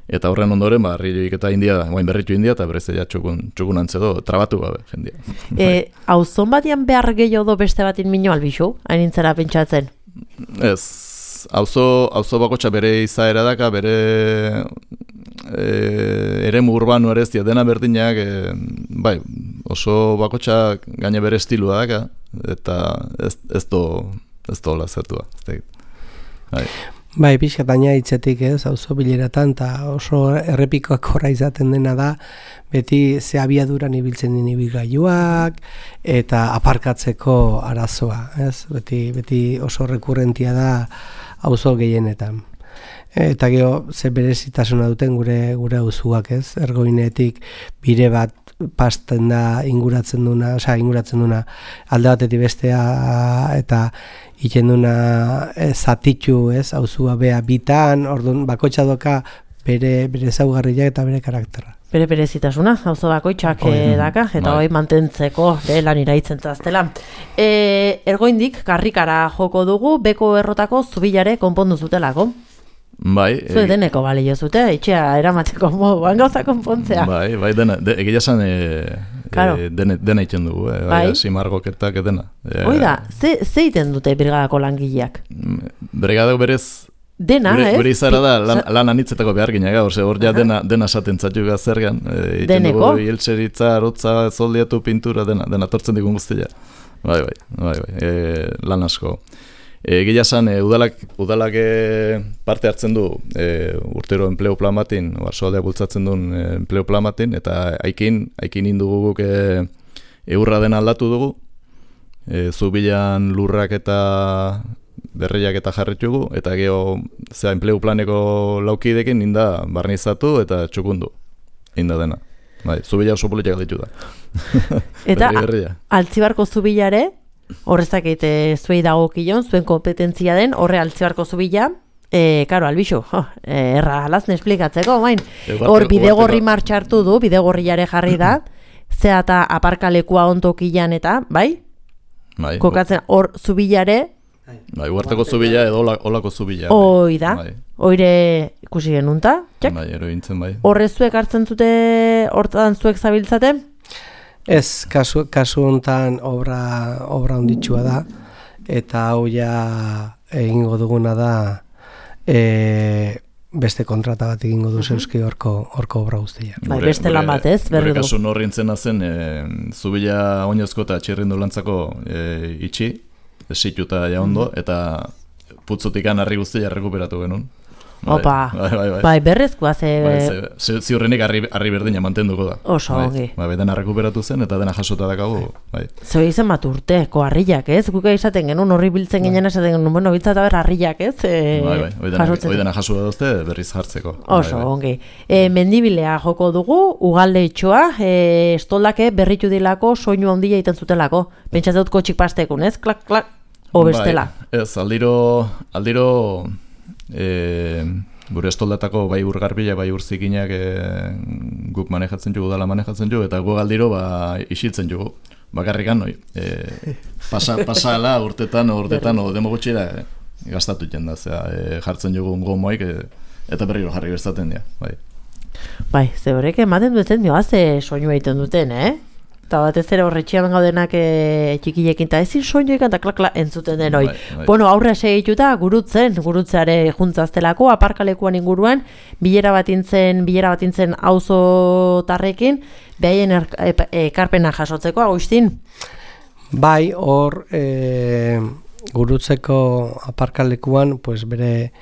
Speaker 4: Eta horren ondoren, harririk eta berritu india, eta berezea txukun antzedo, trabatu gabe, jendia.
Speaker 1: Auzon batian behar gehiago do beste batin mino albixu, hain intzera pentsatzen?
Speaker 4: Ez, auzo bakotxa bere izaera daka, bere eremu urbano ere ez dira, dena berdinak, oso bakotxa gaine bere estilua daka, eta ez do hola zertua.
Speaker 3: Bai, pixkataina hitzetik ez, auzo bileratan, eta oso errepikoak horra izaten dena da, beti ze abiaduran ibiltzen den ibilgailuak, eta aparkatzeko arazoa, ez? Beti oso rekurrentia da auzo gehienetan. Eta gero, ze berezitasuna duten gure auzuak, ez? Ergoinetik bide bat pasten da inguratzen duna alde batetik bestea, eta iten duna zatitu, ez, auzua bea bitan, orduan bakoitza doka bere ezaugarriak eta bere karakterra.
Speaker 1: Bere berezitasuna, auzo bakoitzak daka, eta hoi mantentzeko lan iraitzen zaztela. Ergoindik, karrikara joko dugu, beko errotako zubilare konpondu zutelako.
Speaker 4: Bai.
Speaker 1: Zue deneko balio zute, etxea eramateko moduan gauza konpontzea.
Speaker 4: Bai, egia esan dena iten dugu, simargoketak dena.
Speaker 1: Oida, ze iten dute brigadako langileak?
Speaker 4: Brigadako berez,
Speaker 1: dena,
Speaker 4: gure izara da lan anitzetako behar gineak, hor ja dena esaten zatu gazergan. Iten dugu, hiltzeritza, arotza, zoldiatu, pintura, dena tortzen digun guztia. Bai, lan asko. Egia esan, udalak parte hartzen du urtero enpleo plan batin, Barsoaldeak bultzatzen duen enpleo plan batin, eta haikin indugu guk eurra den aldatu dugu, zubilan lurrak eta berriak eta jarritugu, eta geho enpleu planeko laukidekin inda barnizatu eta txukundu, inda dena. Bai, zubila oso politak ditu da.
Speaker 1: Eta Altzibarko zubilare, horrezak zuei dagokion, zuen kompetentzia den, horre Altzibarko zubila, karo, Albixu, erra alazne esplikatzeko, bain. Hor bidegorri martxartu du, bidegorriare jarri da, zea eta aparkalekua ontokian eta, bai? Kokatzen, hor zubilare,
Speaker 4: bai, uarteko zubila edo olako zubila.
Speaker 1: Hoi da, hoire ikusi genunta, txak?
Speaker 4: Bai, erointzen bai.
Speaker 1: Horre zuek hartzen zute, hortan zuek zabiltzate?
Speaker 3: Ez, kasu honetan obra onditsua da, eta hau ja egingo duguna da beste kontrata bat egingo du zeuski horko obra guztia.
Speaker 1: Bai, beste lan bat ez, berri du.
Speaker 4: Gure kasu norrintzena zen, zubila oinozko eta txirrindu lantzako itxi, esituta ja ondo, eta putzotikan harri guztia rekuperatu genuen.
Speaker 1: Opa, bai, berrezkoa ze...
Speaker 4: Ziurrenik harri berdina mantenduko da.
Speaker 1: Oso, ongi.
Speaker 4: Bai, dena rekuperatu zen, eta dena jasota dakagu, bai.
Speaker 1: Zeu izan bat urteko harriak, ez? Guka izaten genuen, horri biltzen ginen esaten genuen, bueno, biltzata ber harriak, ez?
Speaker 4: Bai, hoi dena jasota duzte berriz jartzeko.
Speaker 1: Oso, ongi. Mendibilea joko dugu, ugalde itxoa, estoldake berritu dilako, soinu handia egiten zutelako. Pentsatzen dut kotxik pastekun, ez? Klak, klak, obestela.
Speaker 4: Bai, ez, aldiro gure estoldatako bai urgarbila, bai urzikinak guk manejatzen jugu, dala manejatzen jugu, eta guk aldiro isiltzen jugu. Bakarrikan, pasala urtetan demogutxera gastatu jenda, jartzen jugu gomoik, eta berriro jarri berzaten dira.
Speaker 1: Bai, ze horrek ematen duten dioa, ze soinu egiten duten, Eta batez ere horretxian gaudenak txikilekin, eta ezin soinuekan eta klak entzuten den hoi. Bueno, aurre segituta gurutzeare juntzaztelako, aparkalekuan inguruan, bilera batintzen auzotarrekin, behaien ekarpena jasotzeko, Agustin?
Speaker 3: Bai, hor gurutzeko aparkalekuan, pues bere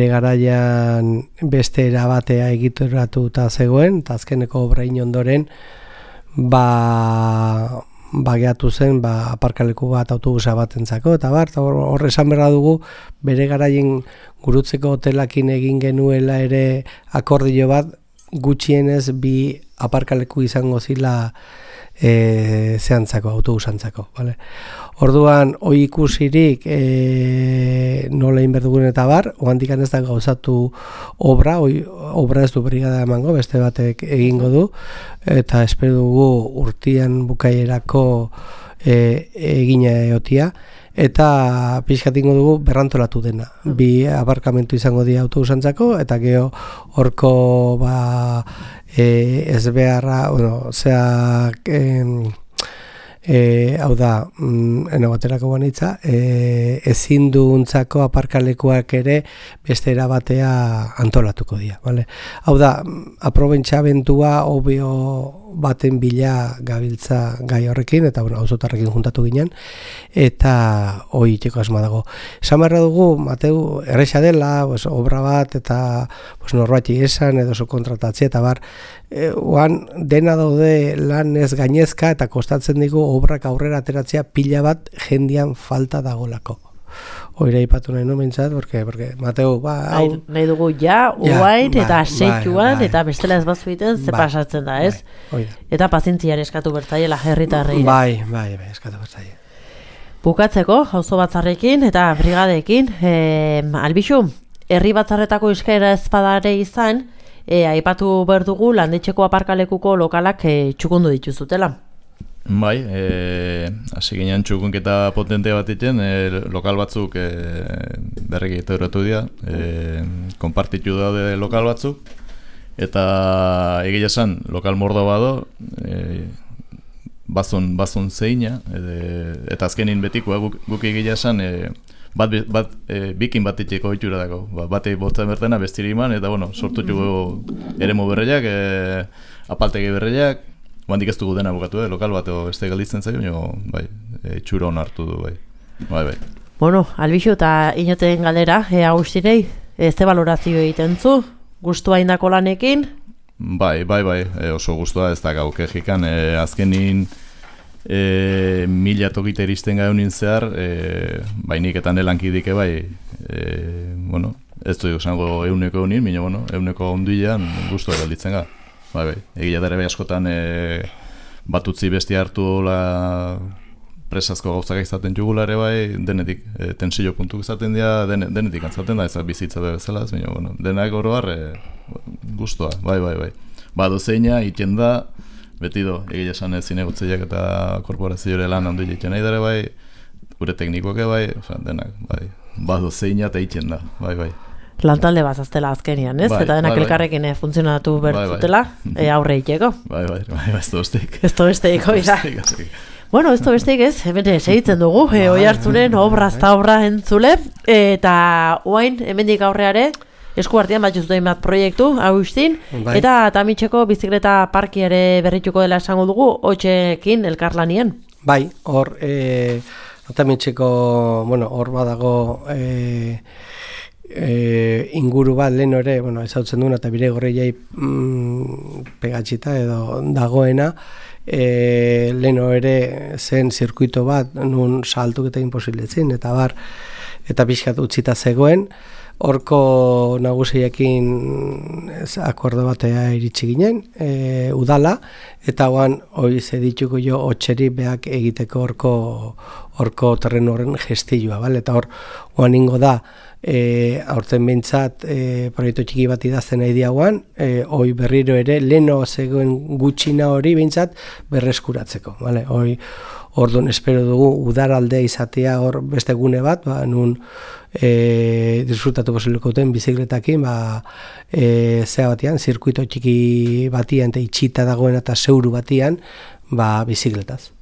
Speaker 3: garaian beste erabatea egituratuta zegoen, eta azkeneko obrain ondoren, bageatu zen aparkaleku bat autobusa batentzako, eta hor esan berra dugu bere garaien gurutzeko hotelakin egin genuela ere akordio bat, gutxienez bi aparkaleku izango zila zehantzako, autobusantzako. Vale? Orduan, hoi ikusirik nola inberdugun eta oandikan ez da gauzatu obra ez du brigada emango, beste batek egingo du, eta espero dugu urtian bukaierako egina eotia, eta pixkatingo dugu berrantolatu dena. Bi aparkamentu izango dira autobusantzako, eta geho horko ez beharra, hau da, baterako banitza, ezin duuntzako aparkalekuak ere beste erabatea antolatuko dira. Vale? Hau da, aprobentsa bentua obio baten bila gabiltza gai horrekin, eta auzotarrekin juntatu ginen, eta hoi itxeko asma dago. Esan berra dugu, Mateu, erresa dela, obra bat, eta norbati esan, edo kontratatzea, eta oan dena daude lan ez gainezka, eta kostatzen digu obrak aurrera ateratzea pila bat jendian falta dagolako. Oira ipatu nahi nomentzat, porque Mateu,
Speaker 1: nahi dugu uain, eta seituan, eta bestela ez bazu egiten, ze pasatzen da, ez? Eta pazientziare eskatu bertzaiela herritarrei.
Speaker 3: Bai, eskatu bertzaiela.
Speaker 1: Bukatzeko, auzo batzarrekin eta brigadeekin, Albixu, herri batzarretako eskaera ezpadare izan, aipatu behar dugu landetxeko aparkalekuko lokalak txukundu dituzutela.
Speaker 4: Bai, hasi ginean txukunketa potente bat iten, lokal batzuk berriki teoratu dira, konpartitu daude lokal batzuk, eta egia esan, lokal mordo bado, bazun zeina, eta azkenin betikoa guk egia esan, bikin bat itxeko itxura dago, batei botzen bertena bestiri iman, eta sortu txugu eremu berreiak, apaltegi berreiak, handik ez dugu dena bukatu, lokal bat beste galditzen zaio, itxura hona hartu du, bai.
Speaker 1: Bueno, Albixu eta inoten galdera, Agustinei, ze balorazio egiten zu, gustua indako lanekin?
Speaker 4: Bai, oso gustua ez da gauke jikan, azkenin 1000 tokite iristen gaunin zehar, nik eta nelankidike bueno, ez du esango euneko eunin, baina bueno, euneko onduilean gustua galditzen ga. Bai, egia dara askotan batutzi bestia hartu presazko gauzak izaten jugulare denetik, tensio puntuk izaten dira, denetik antzaten da, ez bizitza bezala, baina bueno, denak oroar gustua, bai. Dozeina, iten da, beti do, egia esan zinegotzeiak eta korporazioare lan handu egiten nahi dara gure teknikoke denak, dozeina eta iten da, bai.
Speaker 1: Lantalde bazaztela azkenian, ez? Eta denak elkarrekin funtzionatu bertzutela, aurre iteko.
Speaker 4: Bai, ez dozteik.
Speaker 1: Ez dozteik, oiza. Bueno, ez besteik ez, hemen segitzen dugu, oi hartzunen obrazta obra entzule, eta oain, hemendik aurreare, esku artean bat juzuten bat proiektu, Agustin, eta Tamitxeko bizikleta parkiare berrituko dela esango dugu, hotxekin elkarlanien.
Speaker 3: Bai, hor, Tamitxeko, hor badago inguru bat lehen ere, ezautzen duna, eta bire gorreiai pegatxita edo dagoena, leno ere zen zirkuito bat nun saltuk eta imposiletzin eta pixkat utzita zegoen horko nagusiekin akordo batea iritsi ginen udala eta guan hoi zedituko jo hotxeri beak egiteko horko terreno horren gestilloa eta hor guan ingo da aurten behintzat proiektu txiki bat idazten nahi diagoan, hoi berriro ere leno zegoen gutxina hori behintzat berreskuratzeko. Orduan espero dugu udaraldea izatea hor beste gune bat, nun disfrutatu posibilikoten bizikletakin, zea batian, zirkuito txiki batian eta itxita dagoen eta zeuru batian, bizikletaz.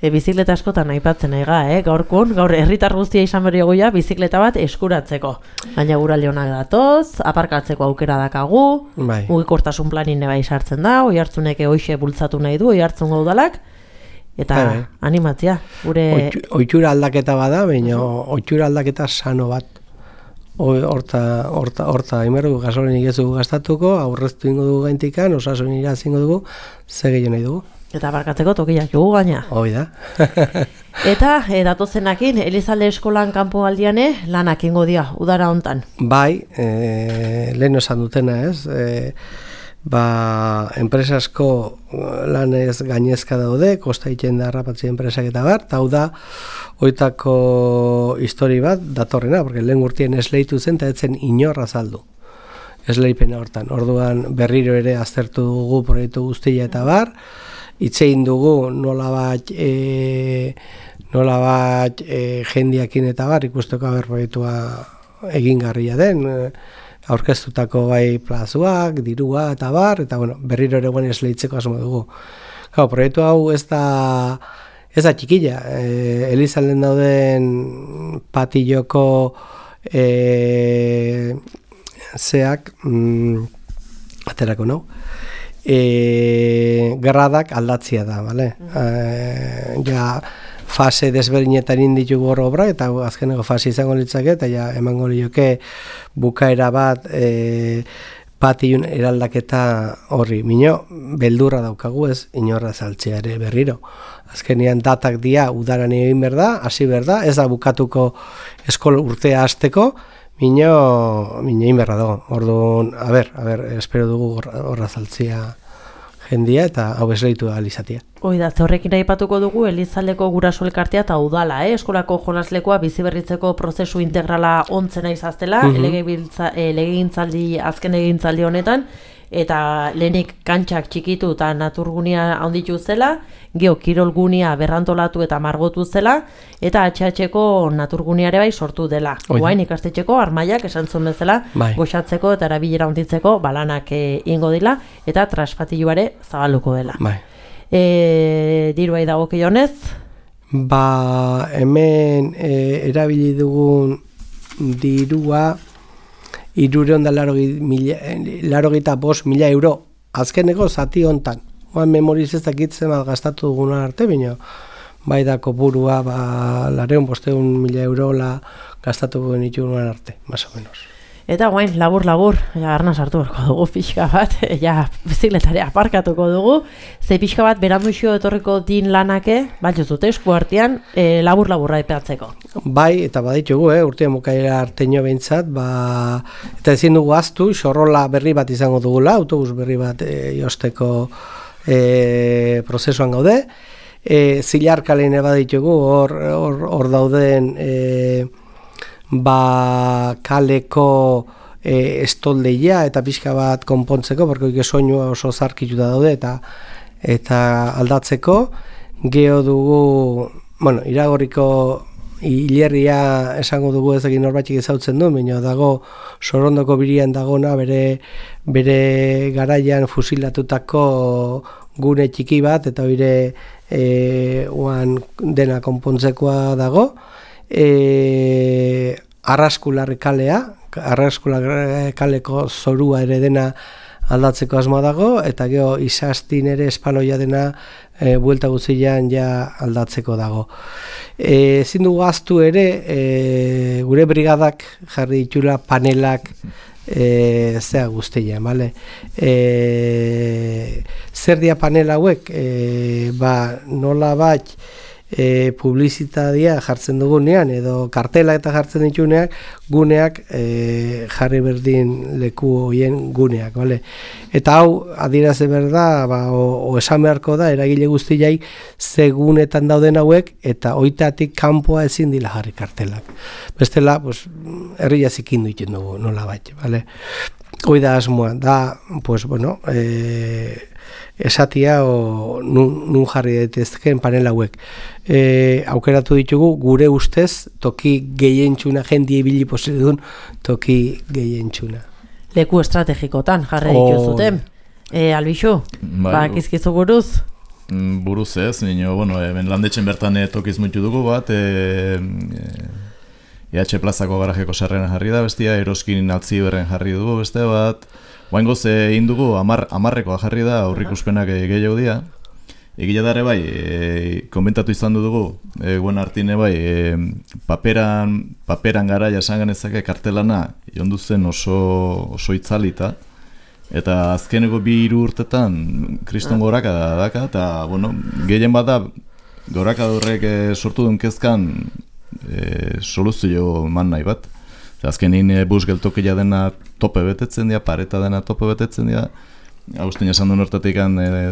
Speaker 1: Bizikleta askotan aipatzen nahi gaur herritar guztia izan berri goia bizikleta bat eskuratzeko. Baina guralde honak datoz, aparkatzeko aukera dakagu, mugikortasun planin bai sartzen da, oi hartzuneke hoixe bultzatu nahi du, oi hartzun gaudalak, eta animatzia.
Speaker 3: Oitura aldaketa bada, baina oitura aldaketa sano bat. Horta, imerdugu gasolinik ez dugu gastatuko, aurreztu ingo dugu gaintikan, osasun irazingo dugu, ze gehiago nahi dugu.
Speaker 1: Eta barkatzeko tokiak jugu gaina.
Speaker 3: Hoi da.
Speaker 1: Eta datozenakin, Elizalde eskolan kanpo aldiane, lanak ingo dia, udara hontan.
Speaker 3: Bai, lehen esan dutena ez, enpresasko lanez gainezka daude, kosta egiten da harrapatzi enpresak eta eta hau da, oitako histori bat datorrena, porque lehen urtien esleitu zen, eta etzen inorra azaldu. Esleipena hortan. Orduan berriro ere aztertu dugu proiektu guztia eta itzein dugu nola bat jendiakin eta ikusteko proiektua egingarria den, aurkeztutako plazuak, dirua eta berriro ere guen esleitzeko asmo dugu. Proiektu hau ez da txikila, Elizalden dauden patilloko zeak aterako nau. Gradak aldatzia da, fase desberdinetan inditugu hor obra, eta azkeneko fase izango litzake, eta emango lioke bukaera bat patillun eraldaketa horri. Mino, beldurra daukagu ez, inorra saltzeare berriro. Azkenean datak dia udaran egin berda, hasi berda, ez da bukatuko eskola urtea hasteko, Mino inberra dago. Orduan, espero dugu horra zaltzia jendia eta hau esleitu da alizatia.
Speaker 1: Oida, horrekin aipatuko dugu Elizaldeko guraso elkartea eta udala, eskolako jonaslekoa biziberritzeko prozesu integrala ontzena izaztela, azken egintzaldi honetan, eta lehenik kantxak txikitu eta naturgunia handitu zela, geho kirolgunia berrantolatu eta margotu zela, eta HH-ko naturguniare bai sortu dela. Guain ikastetxeko armaiak esan zuen bezala, goxatzeko eta erabilera handitzeko balanak ingo dila, eta traspatiluare zabaluko dela. Diruai dago kionez?
Speaker 3: Hemen erabili dugun dirua 385.000 euro azkeneko zati hontan. Memoriz ez dakitzen gastatu duguna arte, baina bai da kopurua, 200.000 eurola gastatuko genituen arte, más o menos.
Speaker 1: Eta guain, labur, arna sartu berko dugu pixka bat, bizikletarea aparkatuko dugu, ze pixka bat beramuixo etorriko din lanake, baltzuzute esku artean, labur-laburra epeatzeko.
Speaker 3: Bai, eta baditugu, urtean bukaera arteño behintzat, eta ezin dugu aztu, xorrola berri bat izango dugula, autobus berri bat josteko prozesuan gaude, zilarkalein baditugu, hor dauden kaleko estoldeia eta pixka bat konpontzeko, porque soinua oso zarkituta daude eta aldatzeko. Geo dugu, Iragorriko hilerria esango dugu ez egin norbaitik ezautzen du, baina dago Sorondoko birian dagona bere garaian fusilatutako gune txiki bat, eta bire dena konpontzekoa dago. Arraskularri kaleko zorua ere dena aldatzeko asmoa dago, eta gero izastin ere espaloia dena buelta guztian ja aldatzeko dago. Ezin dugu ahaztu ere, gure brigadak jarri ditula panelak zea guztian, bale? Zer dia panel hauek? Nola bat publizitatea jartzen dugunean edo kartela eta jartzen dituneak guneak jarri berdin leku hoien guneak, bale? Eta hau adieraze berda, o esan beharko da eragile guztiai segunetan dauden hauek eta hoitatik kanpoa ezin dila jarri kartelak. Bestela, herria zikindu egiten dugu nola bat, bale? Hoi da asmoa, da, esatia nun jarri daitezkeen panel hauek. Aukeratu ditugu gure ustez toki gehientxuna, jendie ibili posidun toki gehientxuna.
Speaker 1: Leku estrategikotan jarri dituzuten. Albixu, bakizkizu buruz?
Speaker 4: Buruz ez, hemen landetxen bertan tokiz muitu dugu bat, EH plazako garajeko sarreran jarri da bestia, Eroskin Altziberren jarri dugu beste bat, Oaingoz egin dugu 10rekoa jarri da aurrikuspenak gehiago dira. Egia dare bai, komentatu izan dugu, guen artine bai, paperan garaia esan genezake kartelana jondu zen oso itzalita. Eta azkeneko 2 urtetan kriston goraka daka, eta gehien bada goraka horrek sortu duen kezkan soluzio eman nahi bat. Azkenin bus geltokia dena tope betetzen dira, pareta dena tope betetzen dira. Agustin esan duen hortatik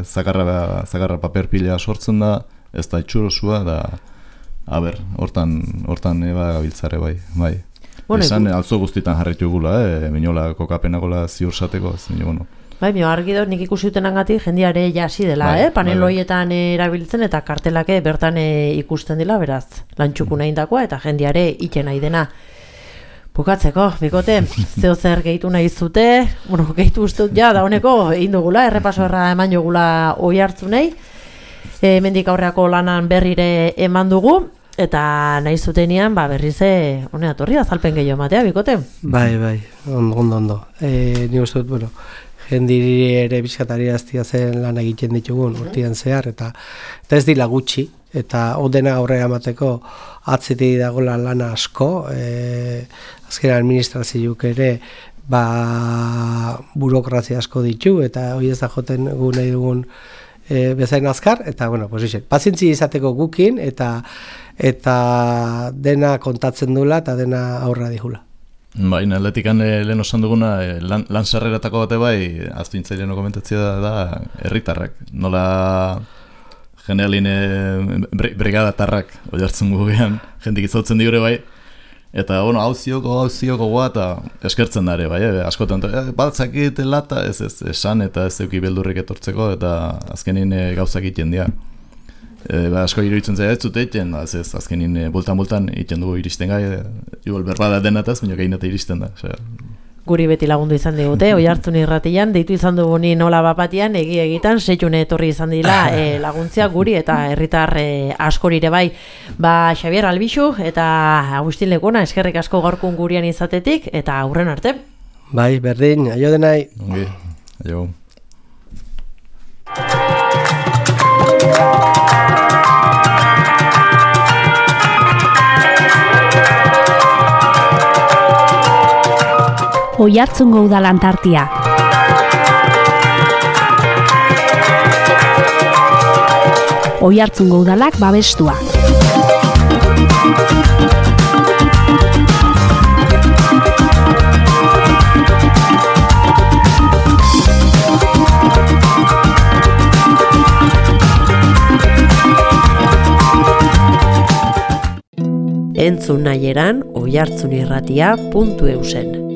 Speaker 4: zakarra paper pila sortzen da, ez da itxurosua, da, hortan gabiltzare bai. Esan alzo guztitan jarritu gula, minola kokapenakola ziur sateko,
Speaker 1: Bai, argi dut nik ikusi dutenagatik jendiare jasi dela, panel horietan erabiltzen eta kartelake bertan ikusten dela, beraz, lantxuku nahi dakoa eta jendiare iten nahi dena. Bukatzeko, bikote, zeo zer gehitu nahi zute, gehitu ustut ja, da honeko, egin dugula, errepaso eman jogula oi hartzunei, mendik aurreako lanan berrire eman dugu, eta nahi zutenean, berriz honea torri azalpen gehiago matea, bikote?
Speaker 3: Bai, ondo. Ni uste dut, jendiri ere bizkatari aztia zen lan egiten ditugun urtean zehar, eta ez dila gutxi, eta odena aurrera emateko atzetik dagoela lana asko, azken administrazioak ere burokrazia asko ditu, eta hori ez da joten gu nahi dugun bezain azkar, eta pazientzi izateko gukin, eta dena kontatzen dula, eta dena aurra dihula.
Speaker 4: Bai, atletikan lehen osan duguna, lan sarreratako bate bai, aztu intzailean komentatzea da, herritarrak. Nola generalin brigadatarrak oiartzen gugean, jendik izautzen digure bai, eta hauzioko goa eta eskertzen dare bai, askotan, batzakit lata, ez esan eta ez euki beldurrik etortzeko, eta azkenin gauzak iten dira. Asko iruditzen zaila ez zute iten, azkenin bultan iten dugu iristen gai, igual berbada denataz, baina gainata iristen da.
Speaker 1: Guri beti lagundu izan digute, oi hartzun irratian, deitu izan dugu ni nola bapatian, egitan, setxune etorri izan dila laguntzia guri eta herritar askorire bai. Xabier Albixu eta Agustin Lekona, eskerrik asko gaurkun gurian izatetik, eta aurren arte.
Speaker 3: Bai, berdin, aio denai.
Speaker 4: Ongi, aio.
Speaker 2: Oiartzungo Udalan tartea. Oiartzungo Udalak babestua.
Speaker 1: Entzun nahieran oiartzunirratia.eusen.